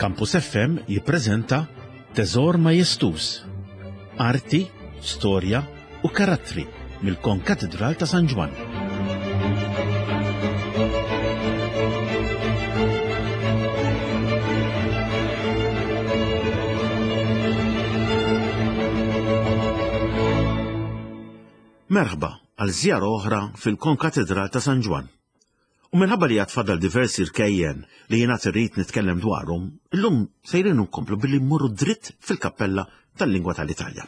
Campus FM jippreżenta Teżor Majestuż, Arti, Storja u Karattri mill-Konkatidral ta' San Ġwann. Merħba għal żjara oħra fil-Konkatidral ta' San Ġwann. U minħabba li għad fadal diversi rkejjen li jien għad irrid nitkellem dwarhom, illum sejrin nkomplu billi mmorru dritt fil-kappella tal-lingwa tal-Italja.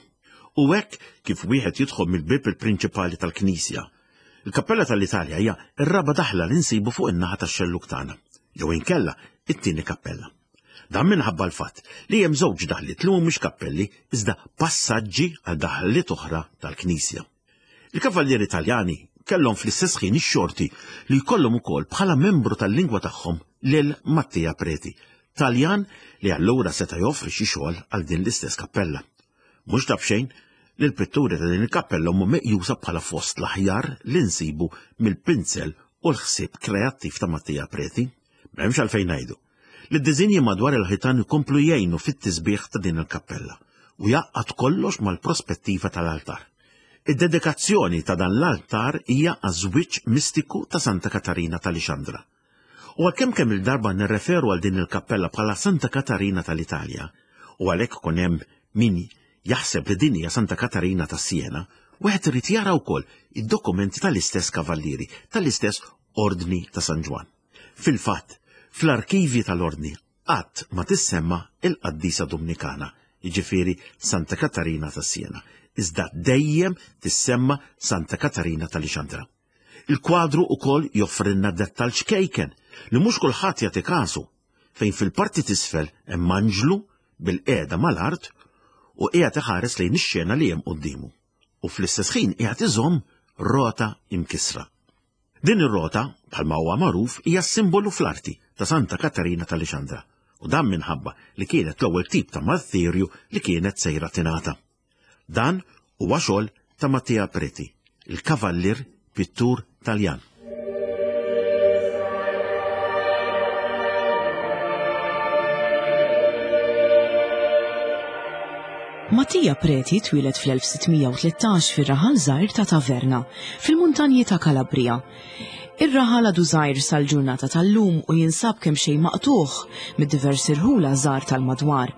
U hekk kif wieħed jidħol mill-bieb il-prinċipali tal-knisja, il-kappella tal-Italja hija r-raba' daħla li nsibu fuq in-naħa tax-xellug tagħna, jew inkella it-tieni kappella. Dan minħabba l-fatt li hemm żewġ daħliet li mhumiex kappelli iżda passaġġi għal daħliet oħra tal-knisja. Il-Kavallieri Taljani kellhom fl-istess ħin ix-xorti li jkollhom ukoll bħala membru tal-lingwa tagħhom lil Mattia Preti, Taljan li allura seta' joffri xi xogħol għal din l-istess kappella. Mhux ta' b'xejn li l-pitturi ta' din il-kappella huma meqjusa bħala fost l-aħjar li nsibu mill-pinzell u l-ħsieb kreattiv ta' Mattia Preti. M'hemmx għalfejn ngħidu li d-diżinji madwar il-ħitan ikomplu jgħinu fit-tisbiħ ta' din il-kappella u jgħaqqad kollox mal-prospettiva tal-altar. Id-dedikazzjoni ta' dan l-altar hija għaż-żwieġ mistiku ta' Santa Katarina ta' Lixandra. U għalkemm kemm il-darba nirreferu għal din il-kappella bħala Santa Katarina tal-Italja, u għalhekk ikun hemm min jaħseb li din hija Santa Katarina ta' Siena, wieħed irid jara wkoll id-dokumenti tal-istess kavallieri, tal-istess Ordni ta' San Ġwann. Fil-fatt, fl-arkivji tal-Ordni qatt ma tissemma il-qaddisa Dumnikana, jiġifieri Santa Katarina ta' Siena, iżda dejjem tissemma Santa Katarina ta' Lixandra. Il-kwadru ukoll joffrilna dettall ċkejken li mhux kulħadd jagħti kasu, fejn fil-parti t'isfel hemm anġlu bil-qiegħda mal-art u qiegħed iħares lejn ix-xena li hemm quddiemu u fl-istess ħin qiegħed iżomm rota imkissra. Din ir-rota, bħalma huwa magħruf, hija simbolu fl-arti ta' Santa Katarina ta' Lixandra, u dan minħabba li kienet l-ewwel tip ta' martirju li kienet sejra tingħata. Dan huwa xogħol ta' Mattia Preti, il-kavallier pittur Taljan. Mattia Preti twieled fl-1613 fir-raħal żgħir ta' Taverna, fil-muntanji ta' Calabria. Ir-raħal għadu żgħir sal-ġurnata tal-lum u jinsab kemxejn maqtugħ mid-diversi rħula żgħar tal-madwar.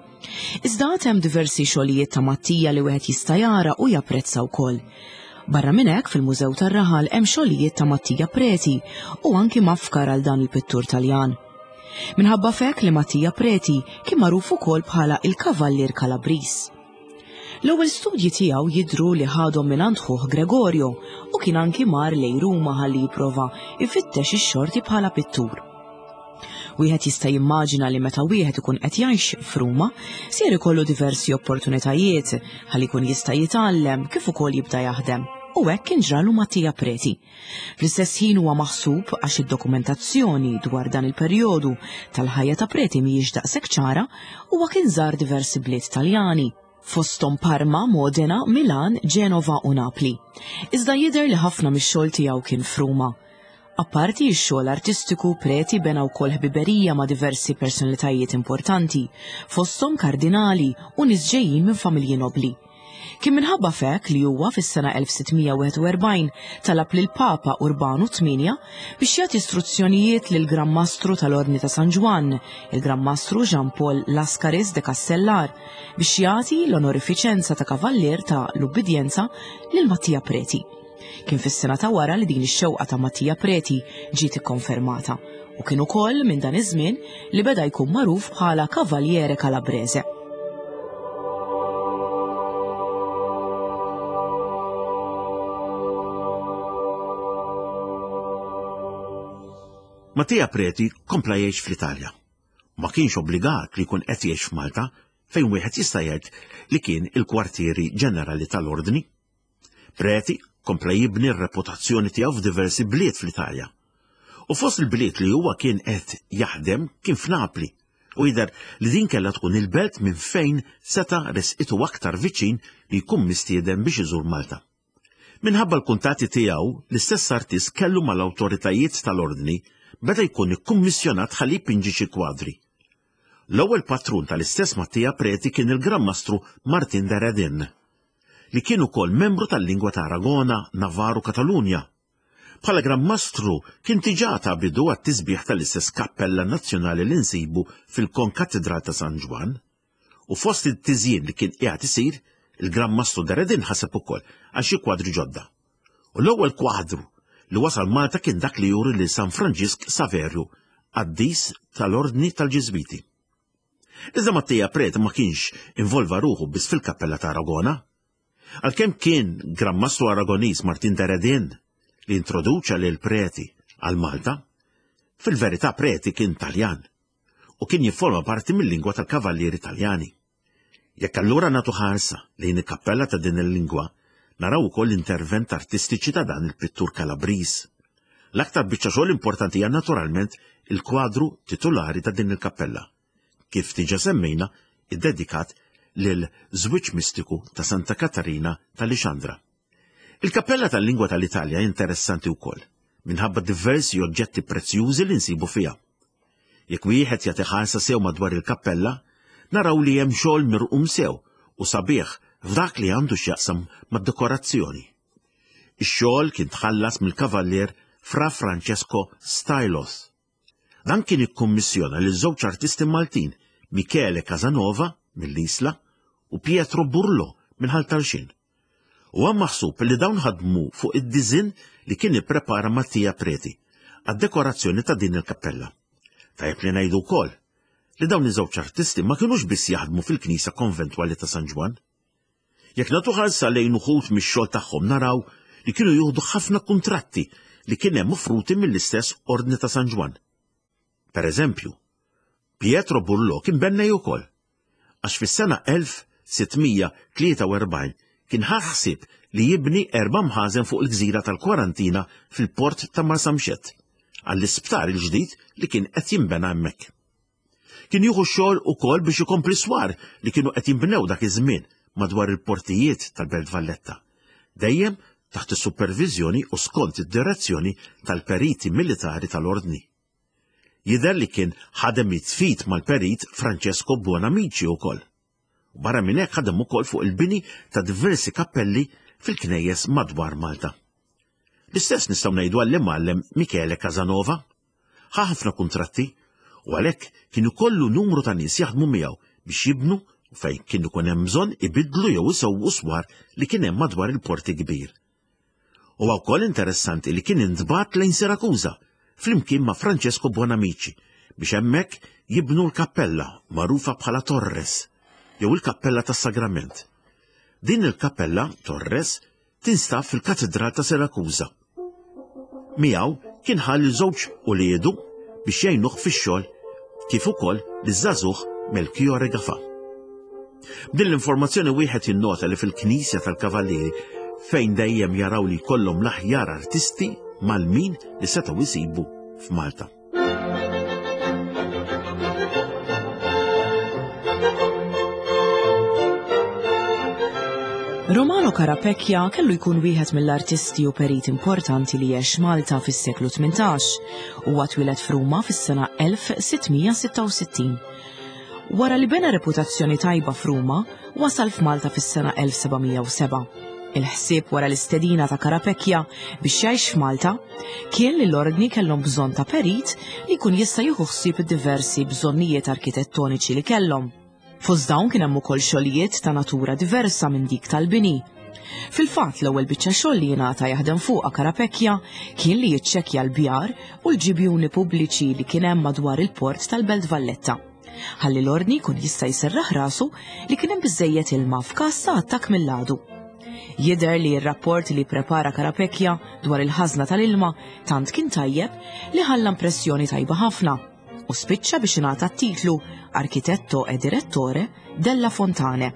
Iżda għad hemm diversi xogħlijiet ta' Mattia li wieħed jista' jara u japprezza wkoll. Barra minn hekk fil-Mużew tar-Raħal hemm xogħlijiet ta' Mattia Preti u anki mafkar għal dan il-pittur Taljan. Minħabba f'hekk li Mattia Preti kien magħruf ukoll bħala il-Kavallier Kalabriż. L-ewwel studji tiegħu jidhru li ħadhom mingħand ħuh Gregorio u kien anki mar lejn Ruma ħalli jipprova jfittex ix-xorti bħala pittur. Wieħed jista' jimmaġina li meta wieħed ikun qed jgħix f'Ruma, ser ikollu diversi opportunitajiet ħalli jkun jista' jitgħallem kif ukoll jibda jaħdem. U hekk kien ġralu Mattia Preti. Fl-istess ħin huwa maħsub għax id-dokumentazzjoni dwar dan il-perjodu tal-ħajja ta' Preti mhijiex daqshekk ċara, huwa kien żar diversi bliet Taljani, fosthom Parma, Modena, Milan, Ġenova u Napli. Iżda jidher li ħafna mix-xogħol tiegħu kien f'Ruma. Apparti x-xogħol artistiku, Preti bena wkoll ħbiberija ma' diversi personalitajiet importanti, fosthom kardinali u nies ġejjin minn familji nobbli. Kien minħabba f'hekk li huwa fis-sena 1641 talab lill-Papa Urbanu VIII biex jagħti istruzzjonijiet lill-Gran Mastru tal-Ordni ta' San Ġwann, il-Gran Mastru Jean Paul Lascaris de Castellar, biex jagħti l-onorifiċenza ta' Kavallier ta' l-Ubbidjenza lil Mattia Preti. Kien fis-sena ta' wara li din ix-xewqa ta' Mattia Preti ġiet ikkonfermata u kien ukoll minn dan iż-żmien li beda jkun magħruf bħala Cavaliere Calabrese. Mattia Preti kompla jgħix fl-Italja. Ma kienx obbligat li jkun qed jgħix f'Malta fejn wieħed jista' jgħid li kien il-kwartieri ġenerali tal-Ordni. Preti kompla jibni r-reputazzjoni tiegħu f'diversi bliet fl-Italja. U fost il-bliet li huwa kien qed jaħdem kien f'Napli u jidher li din kellha tkun il-belt minn fejn seta' resqitu aktar viċin li jkun mistieden biex iżur Malta. Minħabba l-kuntatti tiegħu, l-istess artist kellu mal-awtoritajiet tal-Ordni beda jkun ikkummissjonat ħalli jpinġi xi kwadri. L-ewwel patrun tal-istess Mattia Preti kien il-Gran Mastru Martin de Redin, li kien ukoll membru tal-lingwa ta' Aragona, Navarre u Katalunja. Bħala Gran Mastru kien diġà ta bidu għat-tisbiħ tal-istess kappella nazzjonali li nsibu fil-Konkatidral ta' San Ġwann. U fost it-tiżjin li kien qiegħed isir, il-Gran Mastru de Redin ħaseb ukoll għal xi kwadri ġodda. U l-ewwel kwadru li wasal Malta kien dak li juri lil San Franġisk Saverju, qaddis tal-Ordni tal-Ġiżwiti. Iżda Mattia Preti ma kienx involva ruħu biss fil-kappella ta' Aragona. Għalkemm kien Gran Mastru Aragoniż Martin de Redin li introduċa lil Preti għal Malta, fil-verità Preti kien Taljan u kien jifforma parti mill-lingwa tal-Kavallieri Taljani. Jekk allura nagħtu ħarsa lejn il-kappella ta' din il-lingwa, naraw ukoll l-intervent artistiċi ta' dan il-pittur Kalabriż. L-aktar biċċa xogħol importanti hija naturalment il-kwadru titulari ta' din il-kappella, kif diġà semmejna iddedikat lil żwieġ mistiku ta' Santa Katarina ta' Lixandra. Il-kappella tal-lingwa tal-Italja interessanti wkoll, minħabba diversi oġġetti prezzjużi li nsibu fiha. Jekk wieħed jagħti ħarsa sew madwar il-kappella, naraw li hemm xogħol mirqum sew u sabiħ f'dak li għandu x'jaqsam mad-dekorazzjoni. Ix-xogħol kien tħallas mill-kavallier Fra Francesco Stylos. Dan kien ikkummissjona lil żewġ artisti Maltin, Michele Casanova mill-Isla u Pietro Burlo minn Ħal Tarxien. Huwa maħsub li dawn ħadmu fuq id-diżinn li kien ipprepara Mattia Preti għad-dekorazzjoni ta' din il-kappella. Tajjeb li ngħidu wkoll li dawn iż-żewġ artisti ma kinux biss jaħdmu fil-knisja konventwali ta' San Ġwann. Jekk nagħtu ħarsa lejn uħud mix-xogħol tagħhom naraw li kienu jieħdu ħafna kuntratti li kien hemm offruti mill-istess Ordni ta' San Ġwann. Per eżempju, Pietro Burlo kien bennej ukoll, għax fis-sena 1643 kien ħa ħsieb li jibni erba' mħażen fuq il-gżira tal-Kwarantina fil-port ta' Marsamxett għall-isptar il-ġdid li kien qed jinbena hemmhekk. Kien jieħu x-xogħol ukoll biex ikompli swar li kienu qed jinbnew dak iż-żmien madwar il-portijiet tal-Belt Valletta, dejjem taħt is-superviżjoni u skont id-direzzjoni tal-periti militari tal-Ordni. Jidher li kien ħadem id f'id mal-perit Francesco Buonamici wkoll. U barra minn hekk ħadem ukoll fuq il-bini ta' diversi kappelli fil-knejjes madwar Malta. L-istess nistgħu ngħidu għall-imgħallem Michele Casanova. Ħa ħafna kuntratti u għalhekk kien ikollu numru ta' nies jaħdmu miegħu biex jibnu u fejn kien ikun hemm bżonn ibiddlu jew isewwu swar li kien hemm madwar il-porti kbir. Huwa wkoll interessanti li kien intbagħat lejn Sirakuża flimkien ma' Francesco Buonamici biex hemmhekk jibnu l-kappella magħrufa bħala Torres jew il-Kappella tas-Sagrament. Din il-kappella, Torres, tinstab fil-Katidral ta' Sirakuża. Miegħu kien ħa lil żewġ uliedu biex jgħinuh fix-xogħol kif ukoll liż-żagħżugħ Melchiorre Gafà. B'din l-informazzjoni wieħed jinnota li fil-Knisja tal-Kavallieri fejn dejjem jaraw li jkollhom l-aħjar artisti mal-min li setgħu jsibu f'Malta. Romano Carapecchia kellu jkun wieħed mill-artisti u perit importanti li għex Malta fis-seklu 18. Huwa twieled f'Ruma fis-sena 1666. Wara li bena reputazzjoni tajba f'Ruma, wasal f'Malta fis-sena 1707. Il-ħsieb wara l-istedina ta' Carapecchia biex jgħix f'Malta kien li l-Ordni kellhom bżonn ta' perit li jkun jista' jieħu ħsieb id-diversi bżonnijiet arkitettoniċi li kellhom. Fost dawn kien hemm ukoll xogħlijiet ta' natura diversa minn dik tal-bini. Fil-fatt l-ewwel biċċa xogħol li jingħata jaħdem fuqha Carapecchia kien li jiċċekkja l-bjar u l-ġibjuni pubbliċi li kien hemm madwar il-port tal-Belt Valletta. Ħalli l-Ordni jkun jista' jserraħ rasu li kien hemm biżżejjed ilma f'każ ta' attakk mill-għadu. Jidher li r-rapport li pprepara Carapecchia dwar il-ħażna tal-ilma tant kien tajjeb li ħalla impressjoni tajba ħafna u spiċċa biex ingħata t-titlu Architetto e Direttore della Fontane.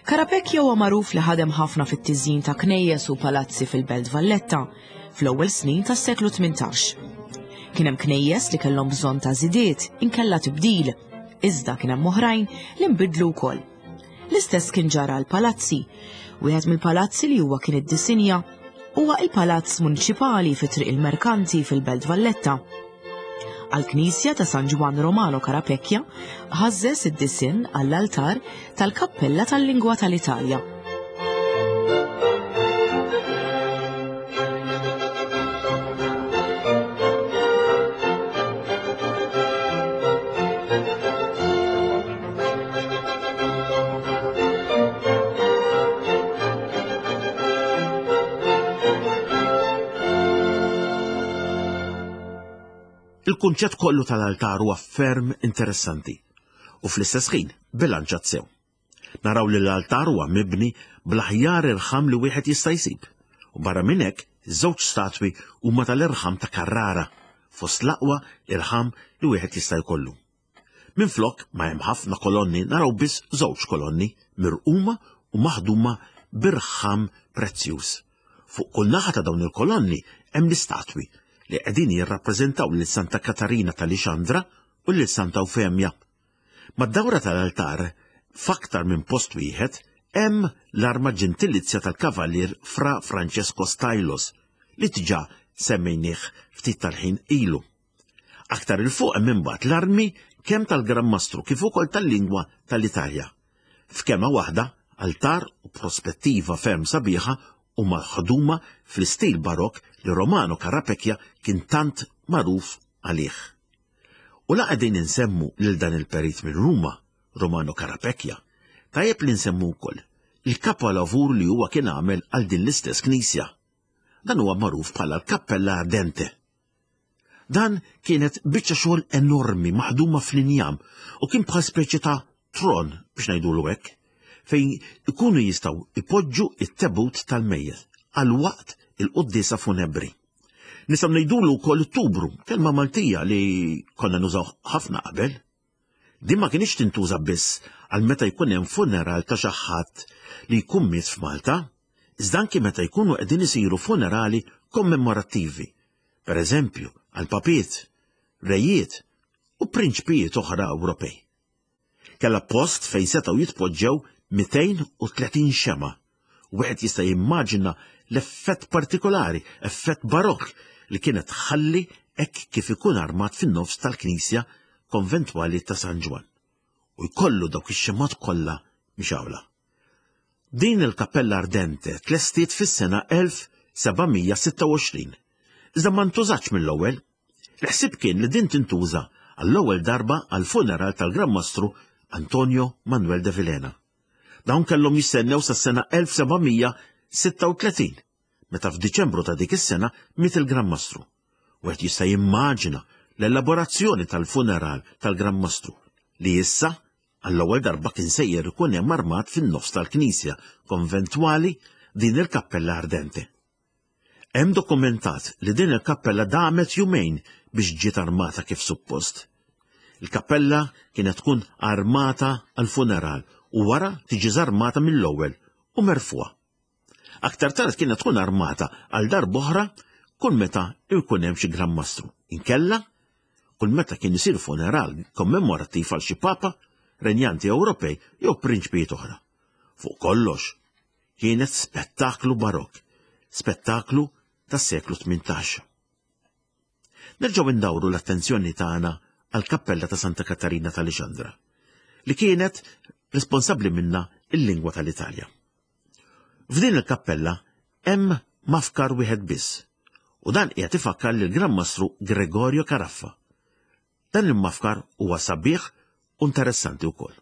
Carapecchia huwa magħruf li ħadem ħafna fit-tiżjin ta' knejjes u palazzi fil-Belt Valletta fl-ewwel snin tas-seklu 18. Kien hemm knejjes li kellhom bżonn ta' żidiet inkella tibdil, iżda kien hemm oħrajn li nbidlu wkoll. L-istess kien ġara l-palazzi. Wieħed mill-palazzi li huwa kien iddisinja huwa il-Palazz Muniċipali fi Triq il-Merkanti fil-Belt Valletta. Għall-knisja ta' San Ġwann Romano Carapecchia ħażżeż id-disinn għall-altar tal-Kappella tal-Lingwa tal-Italja. Il-kunċett kollu tal-altar huwa ferm interessanti u fl-istess ħin bilanċat sew. Naraw li l-altar huwa mibni bl-aħjar irħam li wieħed jista' jsib. U barra minn hekk, żewġ statwi huma tal-irħam ta' Carrara, fost l-aqwa irħam li wieħed jista' jkollu. Minflok ma hemm ħafna kolonni naraw biss żewġ kolonni mirquma u maħduma b'irħam prezzjuż. Fuq kull naħa ta' dawn il-kolonni hemm l-istatwi li qegħdin jirrappreżentaw lil Santa Katarina ta' Lixandra u lil Santa Eufemja. Mad-dawra tal-altar, f'aktar minn post wieħed, hemm l-arma ġentilizja tal-Kavallier Fra Francesco Stylos li diġà semmejnieh ftit tal-ħin ilu. Aktar 'il fuq hemm imbagħad l-armi kemm tal-Gran Mastru kif ukoll tal-lingwa tal-Italja. F'kelma waħda, altar u prospettiva ferm sabiħa u maħduma fl-istil Barokk li Romano Carapecchia kien tant magħruf għalih. U la qegħdin insemmu lil dan il-perit minn Ruma, Romano Carapecchia, tajjeb li nsemmu wkoll il-kapolavur li huwa kien għamel għal din l-istess knisja. Dan huwa magħruf bħala l-Kappella Ardente. Dan kienet biċċa xogħol enormi maħduma fl-injam u kien bħal speċi ta' tron biex ngħidulu hekk, fejn ikunu jistgħu ipoġġu it-tebut tal-mejjet għal waqt il-quddiesa funebri. Nistgħu ngħidulu wkoll tubru, kelma Maltija li konna nużaw ħafna qabel. Din ma kinitx tintuża biss għal meta jkun hemm funeral ta' xi ħadd li jkun miet f'Malta, iżda anki meta jkunu qegħdin isiru funerali kommemorattivi, pereżempju għal papiet, rejiet u prinċpijiet oħra Ewropej. Kellha post fejn setgħu jitpoġġew 230 xemgħa. Wieħed jista' jimmaġina l-effett partikolari, effett barokk li kienet tħalli hekk kif ikun armat fin-nofs tal-knisja konventwali ta' San Ġwann u jkollu dawk ix-xemgħat kollha mixgħula. Din il-Kappella Ardente tlestiet fis-sena 1726, iżda ma ntużatx mill-ewwel. Il-ħsieb kien li din tintuża għall-ewwel darba għall-funeral tal-Gran Mastru Antonio Manuel de Vilhena. Dawn kellhom jistennew sas-sena 1736, meta f'Diċembru ta' dik is-sena miet il-Gran Mastru. Wieħed jista' jimmaġina l-elaborazzjoni tal-funeral tal-Gran Mastru li issa għall-ewwel darba kien sejjer ikun hemm armat fin-nofs tal-knisja konventwali din il-kappella ardente. Hemm dokumentat li din il-kappella damet jumejn biex ġiet armata kif suppost. Il-kappella kienet tkun armata għall-funeral u wara tiġi żarmata mill-ewwel u merfugħa. Aktar tard kienet tkun armata għal darb'oħra kull meta jkun hemm xi Gran Mastru. Inkella, kull meta kien isir funeral kommemorattiv għal xi papa, renjanti Ewropej jew prinċpijiet oħra. Fuq kollox, Kienet spettaklu barokk, spettaklu tas-seklu 18. Nerġgħu ndawru l-attenzjoni tagħna għall-kappella ta' Santa Katarina ta' Lixandra, li kienet responsabbli minna il-lingwa tal-Italja. F'din il-kappella hemm mafkar wieħed biss, u dan qiegħed ifakkar lil Gran Mastru Gregorio Caraffa, Dan il-mafkar huwa sabiħ u interessanti wkoll.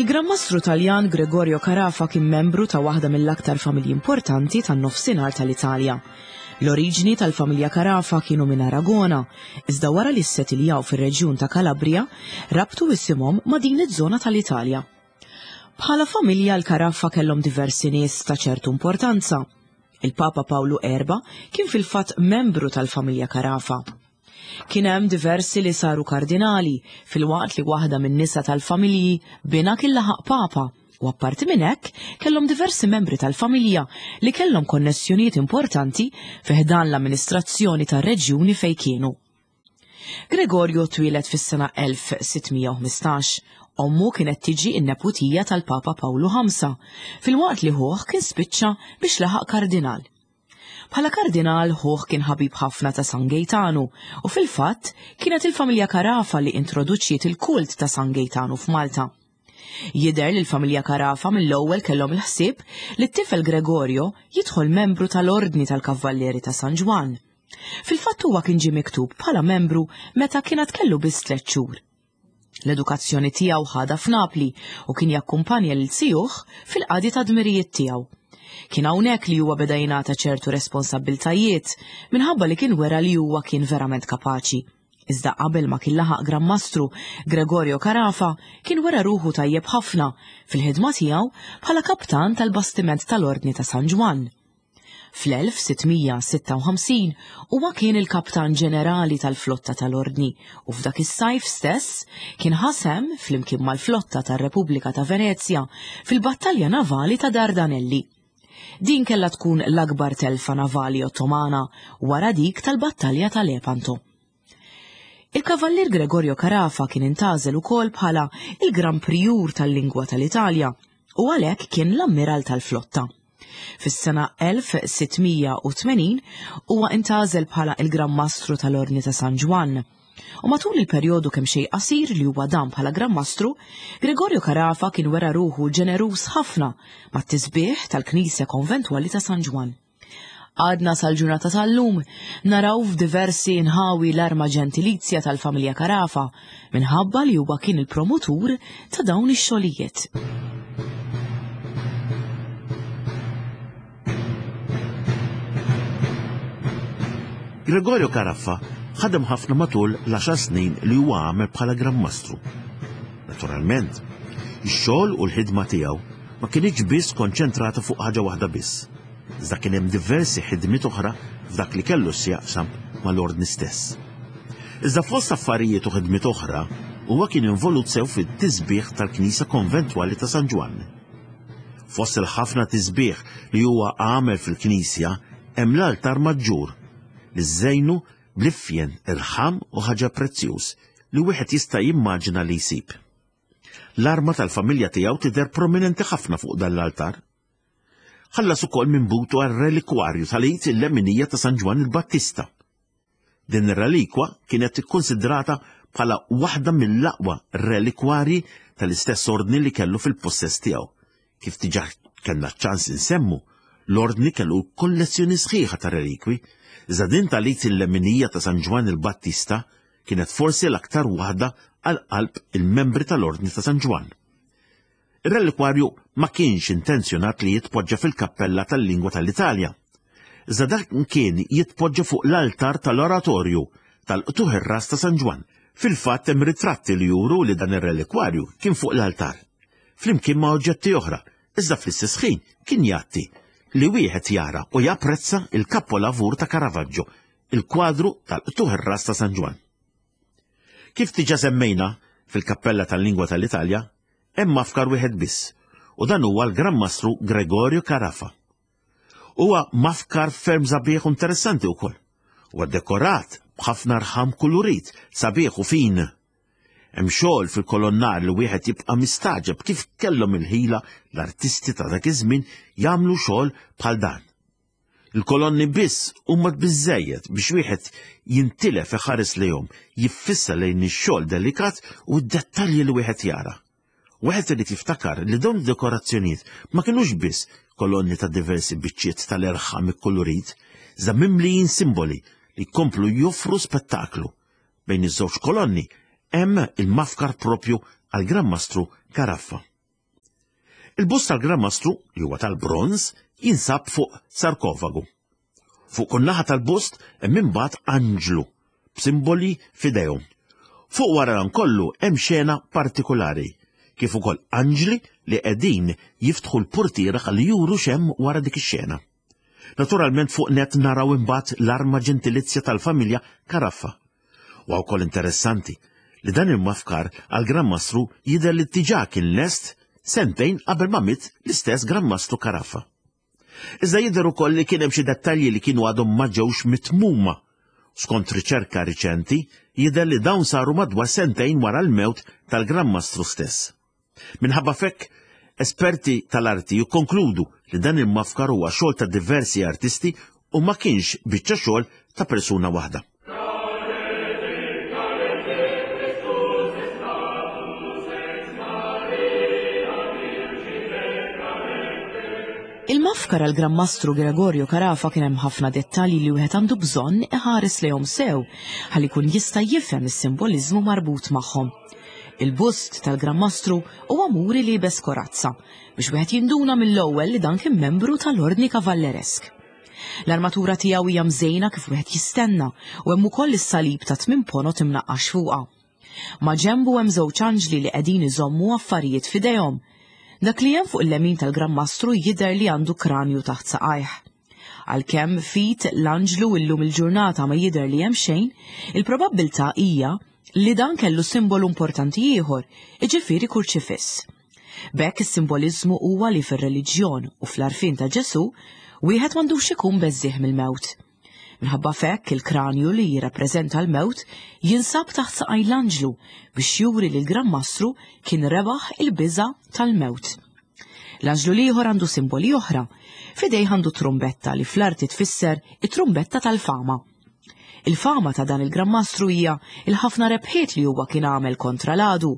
Il-Gran Mastru Taljan Gregorio Carafa kien membru ta' waħda mill-aktar familji importanti tan-nofsinhar tal-Italja. L-oriġni tal-familja Carafa kienu minn Aragona, iżda wara li ssetiljaw fir-reġjun ta' Calabria, rabtu isimhom ma' din iż-żona tal-Italja. Bħala familja l-Caraffa kellhom diversi nies ta' ċertu importanza. Il-Papa Pawlu Erba' kien fil-fatt membru tal-familja Carafa. Kien hemm diversi li saru kardinali, filwaqt li waħda min-nisa tal-familji binha kien laħaq Papa u apparti minn hekk kellhom diversi membri tal-familja li kellhom konnessjonijiet importanti fi ħdan l-amministrazzjoni tar-reġjuni fejn kienu. Gregorio twieled fis-sena 1615. Ommu kienet tiġi n-neputija tal-Papa Pawlu V, filwaqt li ħuh kien spiċċa biex laħaq kardinal. Bħala kardinal ħuh kien ħabib ħafna ta' San Gejtanu u fil-fatt kienet il-familja Carafa li introduċiet il-kult ta' San Gejtanu f'Malta. Jidher li l-familja Carafa mill-ewwel kellhom il-ħsieb li t-tifel Gregorio jidħol membru tal-Ordni tal-Kavvallieri ta' San Ġwann. Fil-fatt huwa kien ġie miktub bħala membru meta kien għad kellu biss tliet xhur. L-edukazzjoni tiegħu ħadha f'Napli u kien jakkumpanja lil zijuh fil-qadi ta' dmirijiet tiegħu. Kien hawnhekk li huwa beda jingħata ċertu responsabbiltajiet minħabba li kien wera li huwa kien verament kapaċi. Iżda qabel ma kien laħaq Gran Mastru, Gregorio Carafa kien wera ruħu tajjeb ħafna fil-ħidma tiegħu bħala kaptan tal-bastiment tal-Ordni ta' San Ġwann. Fl-1656 huwa kien il-kaptan ġenerali tal-flotta tal-Ordni u f'dak is-sajf stess kien ħa sehem flimkien mal-flotta tar-Repubblika ta' Venezja fil-battalja navali ta' Dardanelli. Din kellha tkun l-akbar telfa navali Ottomana wara dik tal-battalja ta' Lepanto. Il-Kavallier Gregorio Carafa kien intgħażel ukoll bħala il-Gran Prijur tal-Lingwa tal-Italja u għalhekk kien l-Ammiral tal-Flotta. Fis-sena 1680 huwa intgħażel bħala il-Gran Mastru tal-Ordni ta' San Ġwann. U matul il-perjodu kemm xejn qasir li huwa dam bħala Gran Mastru, Gregorio Carafa kien wera ruħu ġeneruż ħafna mat-tisbiħ tal-Knisja Konventwali ta' San Ġwann. Għadna sal-ġurnata tal-lum naraw f'diversi inħawi l-arma ġentilizja tal-familja Carafa minħabba li huwa kien il-promotur ta' dawn ix-xogħlijiet. Gregorio Carafa ħadem ħafna matul l-għaxar snin li huwa għamel bħala Gran Mastru. Naturalment, ix-xogħol u l-ħidma tiegħu ma kinitx biss konċentrata fuq ħaġa waħda biss, iżda kien hemm diversi ħidmiet oħra f'dak li kellu x'jaqsam mal-Ordni stess. Iżda fost affarijiet u ħidmiet oħra, huwa kien involut sew fit-tisbiħ tal-Knisja Konventwali ta' San Ġwann. Fost il-ħafna tisbiħ li huwa għamel fil-knisja hemm l-altar maġġur li żejnu bl-ifjen irħam u ħaġa prezzjuż li wieħed jista' jimmaġina li jsib. L-arma tal-familja tiegħu tidher prominenti ħafna fuq dan l-altar. Ħallas ukoll minn butu għar-relikwarju tal-id il-leminija ta' San Ġwann il-Battista. Din ir-relikwa kienet ikkunsidrata bħala waħda mill-aqwa relikwarji tal-istess ordni li kellu fil-possess tiegħu. Kif diġà kellna ċ-ċans insemmu, l-ordni kellu kollezzjoni sħiħa ta' relikwi, iżda din tal-id il-leminija ta' San Ġwann il-Battista kienet forsi l-aktar waħda għal qalb il-membri tal-Ordni ta' San Ġwann. Ir-relikwarju ma kienx intenzjonat li jitpoġġa fil-kappella tal-lingwa tal-Italja. Iżda dan kien jitpoġġa fuq l-altar tal-oratorju tal-qtugħ ir-ras ta' San Ġwann. Fil-fatt hemm ritratti li juru li dan ir-relikwarju kien fuq l-altar, flimkien ma' oġġetti oħra, iżda fl-istess ħin kien jgħatti li wieħed jara u japprezza il-kapolavur ta' Caravaggio il-kwadru tal-qtugħ ir-ras ta' San Ġwann. Kif diġà semmejna, fil-Kappella tal-Lingwa tal-Italja hemm mafkar wieħed biss, u dan huwa l-Gran Mastru Gregorio Carafa. Huwa mafkar ferm sabiħ u interessanti wkoll. Huwa dekorat b'ħafna rħam kulurit, sabiħ u fin. Hemm xogħol fil-kolonnar li wieħed jibqa' mistagħġeb kif kellhom il-ħila l-artisti ta' dak iż-żmien jagħmlu xogħol bħal dan. Il-kolonni biss huma biżżejjed biex wieħed jintilef iħares lejhom, jiffissa lejn ix-xogħol delikat u d-dettalji li wieħed jara. Wieħed irid jiftakar li dawn id-dekorazzjonijiet ma kinux biss kolonni ta' diversi biċċiet tal-erħam ikkulurit, iżda mimlijin simboli li jkomplu joffru spettaklu. Bejn iż-żewġ kolonni hemm il-mafkar propju għall-Gran Mastru Caraffa. Il-bust tal-Gran Mastru, li huwa tal-bronż, jinsab fuq sarkofagu. Fuq kull naħa tal-bust hemm imbagħad anġlu b'simboli f'idejhom. Fuq wara dan kollu hemm xena partikulari, kif ukoll anġli li qegħdin jiftħu l-purtiera ħalli juru x'hemm wara dik ix-xena. Naturalment fuq nett naraw imbagħad l-arma ġentilizja tal-familja Caraffa. Huwa wkoll interessanti li dan il-mafkar għal Gran Mastru jidher li diġà kien lest sentejn qabel ma miet l-istess Gran Mastru Caraffa. Iżda jidher ukoll li kien hemm xi dettalji li kienu għadhom ma ġewx mitmuma. Skont riċerka riċenti, jidher li dawn saru madwar sentejn wara l-mewt tal-Gran Mastru stess. Minħabba f'hekk, esperti tal-arti jikkonkludu li dan il-mafkar huwa xogħol ta' diversi artisti u ma kienx biċċa xogħol ta' persuna waħda. Il-mafkar għal Gran Mastru Gregorio Carafa kien hemm ħafna dettalji li wieħed għandu bżonn iħares lejhom sew ħalli jkun jista' jifhem is-simboliżmu marbut magħhom. Il-bust tal-Gran Mastru huwa muri liebes korazza biex wieħed jinduna mill-ewwel li dan kien membru tal-Ordni Kavalleresk. L-armatura tiegħu hija mżejna kif wieħed jistenna u hemm ukoll is-salib ta' tmien ponot imnaqqax fuqha. Ma' ġenbu hemm żewġ anġli li qegħdin iżommu affarijiet f'idejhom. Dak li hemm fuq il-lemin tal-Gran Mastru jidher li għandu kranju taħt saqajh. Għalkemm f'id l-anġlu illum il-ġurnata ma jidher li hemm xejn, il-probabbiltà hija li dan kellu simbolu importanti ieħor, jiġifieri kurċifiss. B'hekk is-simboliżmu huwa li fir-reliġjon u fl-għarfien ta' Ġesù, wieħed m'għandux ikun beżżiegħ mill-mewt. Minħabba f'hekk il-kranju li jirrappreżenta l-mewt jinsab taħt saqaj l-anġlu biex juri li l-Gran Mastru kien rebaħ il-biża' tal-mewt. L-anġlu l-ieħor għandu simboli oħra. F'idejh għandu trumbetta li fl-arti tfisser it-trumbetta tal-fama. Il-fama ta' dan il-Gran Mastru hija il-ħafna rebħiet li huwa kien għamel kontra l-għadu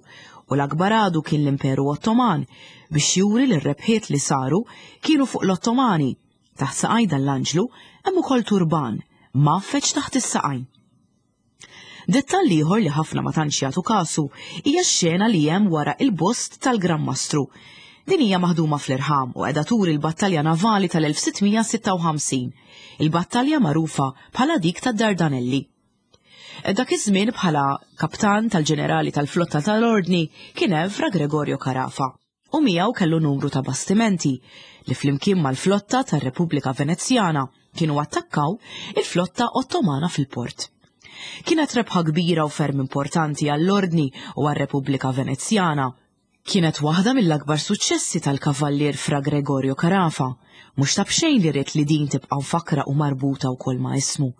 u l-akbar għadu kien l-Imperu Ottoman biex juri li r-rebħiet li saru kienu fuq l-Ottomani Taħt saqaj dan l-anġlu hemm ukoll turban mgħaffeġ taħt is-saqajn. Dettall ieħor li ħafna ma tantx jagħtu kasu hija x-xena li hemm wara il-bust tal-Gran Mastru. Din hija maħduma fl-irħam u qiegħda turi l-battalja navali tal-1656, il-battalja magħrufa bħala dik tad-Dardanelli. Dak iż-żmien bħala kaptan tal-ġenerali tal-flotta tal-Ordni kien hemm Fra Gregorio Carafa. u miegħu kellu numru ta' bastimenti li flimkien mal-flotta tar-Repubblika Venezjana kienu attakkaw il-flotta Ottomana fil-port. Kienet rebħa kbira u ferm importanti għall-Ordni u għar-Repubblika Venezjana. Kienet waħda mill-akbar suċċessi tal-Kavallier Fra Gregorio Carafa, mhux ta' b'xejn li ried li din tibqa' mfakkra u marbuta wkoll ma' ismu.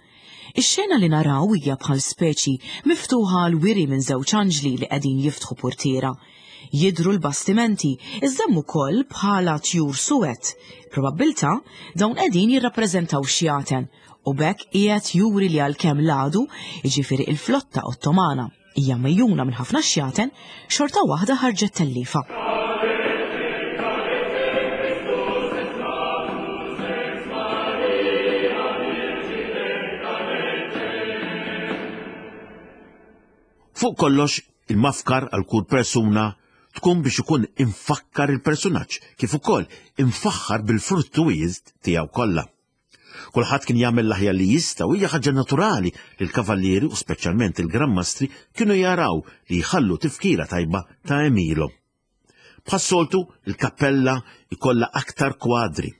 Ix-xena li naraw hija bħal speċi miftuħa għal wiri minn żewġ anġli li qegħdin jiftħu purtiera. Jidhru l-bastimenti, iżda hemm ukoll bħala tjur suwed. Probabbiltà dawn qegħdin jirrappreżentaw xjaten u b'hekk qiegħed juri li għalkemm l-għadu, jiġifieri il-flotta Ottomana, hija mejjuna minn ħafna xjaten, xorta waħda ħarġet telliefa. Fuq kollox, il-mafkar għal kull persuna tkun biex ikun imfakkar il-persunaġġ kif ukoll imfaħħar bil-fruttuwiet tiegħu kollha. Kulħadd kien jagħmel l-aħjar li jista' u hija ħaġa naturali li l-kavallieri u speċjalment il-Gran Mastri kienu jaraw li jħallu tifkira tajba ta' għemilhom. Bħas-soltu, il-kappella jkollha aktar kwadri.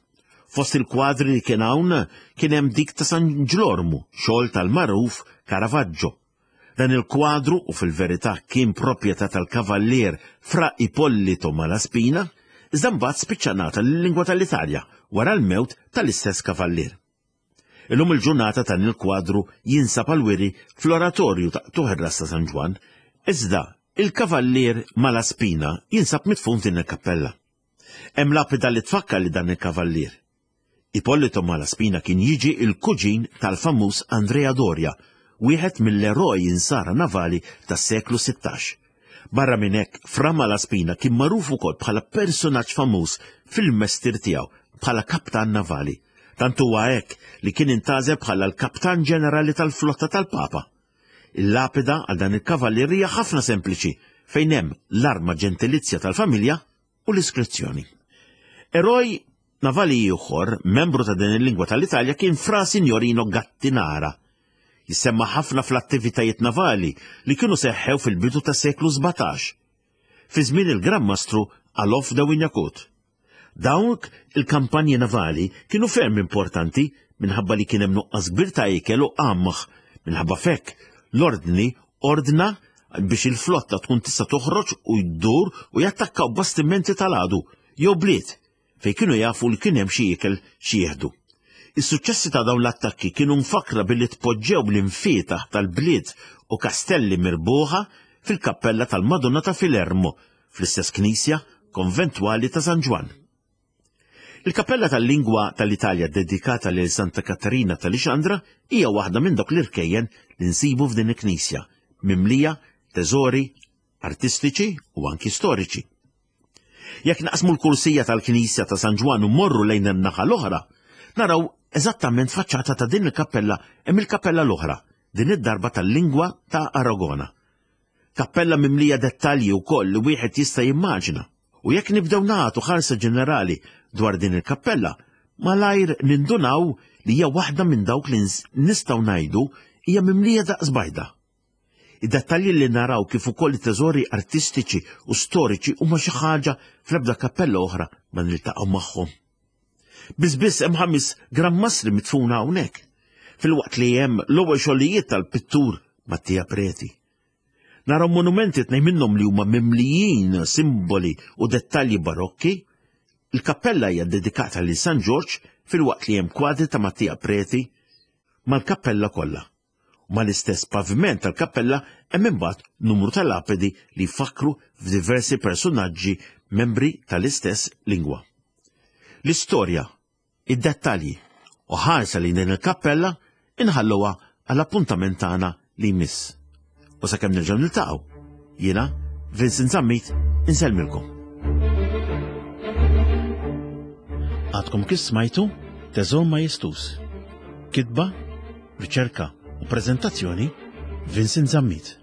Fost il-kwadri li kien hawn kien hemm dik ta' San Ġlormu, xogħol tal-magħruf Caravaggio. Dan il-kwadru, u fil-verità kien proprjetà tal-kavallier Fra Ippolito Malaspina, iżda mbagħad spiċċa ngħata lil-lingwa tal-Italja wara l-mewt tal-istess kavallier. Illum il-ġurnata dan il-kwadru jinsab għall-wiri fl-Oratorju ta' Qtugħ ir-Ras ta' San Ġwann, iżda il-kavallier Malaspina jinsab midfun f'din il-kappella. Hemm lapida li tfakkar li dan il-kavallier. Ippolito Malaspina kien jiġi l-kuġin tal-famuż Andrea Doria, wieħed mill-eroj insara navali tas-seklu 16. Barra minn hekk, Fra Malaspina kien magħruf ukoll bħala persunaġġ famuż fil-mestier tiegħu bħala kaptan navali. Tant huwa hekk li kien intgħażel bħala l-kaptan ġenerali tal-flotta tal-Papa. Il-lapida għal dan il-kavallier hija ħafna sempliċi fejn hemm l-arma ġentilizja tal-familja u l-iskrizzjoni. Eroj navali ieħor, membru ta' din il-lingwa tal-Italja kien Fra Signorino Gattinara. Jissemma ħafna fl-attivitajiet navali li kienu seħħew fil-bidu tas-seklu 17. Fi żmien il-Gran Mastru Alof de Wignacourt. Dawk il-kampanji navali kienu ferm importanti minħabba li kien hemm nuqqas kbir ta' ikel u qamħ. Minħabba f'hekk, l-Ordni ordna biex il-flotta tkun tista' toħroġ u jdur u jattakkaw bastimenti tal-għadu jew bliet fejn kienu jafu li kien hemm xi ikel xi jieħdu. Is-suċċessi ta' dawn l-attakki kienu mfakkra billi tpoġġew l-imfietaħ tal-bliet u kastelli mirbuħa fil-kappella tal-Madonna ta' Filermo fl-istess knisja konventwali ta' San Ġwann. Il-kappella tal-lingwa tal-Italja ddedikata lil Santa Katarina ta' Lixandra hija waħda minn dawk l-irkejjen li nsibu f'din il-knisja, mimlija teżori artistiċi u anki storiċi. Jekk naqsmu l-kursija tal-knisja ta' San Ġwann u mmorru lejn in-naħa l-oħra, naraw eżattament faċċata ta' din il-kappella hemm il-kappella l-oħra, din id-darba tal-lingwa ta' Aragona. Kappella mimlija dettalji wkoll li wieħed jista' jimmaġina. U jekk nibdew nagħtu ħarsa ġenerali dwar din il-kappella, malajr nindunaw li hija waħda minn dawk li nistgħu ngħidu hija mimlija daqs bajda. Id-dettalji li naraw kif ukoll it-teżori artistiċi u storiċi huma xi ħaġa fl-ebda kappella oħra ma niltaqgħu magħhom. Biss biss hemm ħamis Gran Mastri mitfuna hawnhekk, filwaqt li hemm l-ewwel xogħlijiet tal-pittur Mattia Preti. Naraw monumenti tnejn minnhom li huma mimlijin simboli u dettalji barokki. Il-kappella hija dedikata lil San Ġorġ filwaqt li hemm kwadri ta' Mattia Preti mal-kappella kollha. Mal-istess paviment tal-kappella hemm imbagħad numru ta' lapidi li jfakkru f'diversi persunaġġi membri tal-istess lingwa. L-istorja, id-dettalji u ħarsa lejn din il-kappella inħalluha għall-appuntament tagħna li jmiss. U sakemm nerġgħu niltaqgħu, jiena Vincent Zammit insellmilkom. Għadkom kif smajtu Teżor Majestus. Kitba, riċerka u preżentazzjoni Vincent Zammit.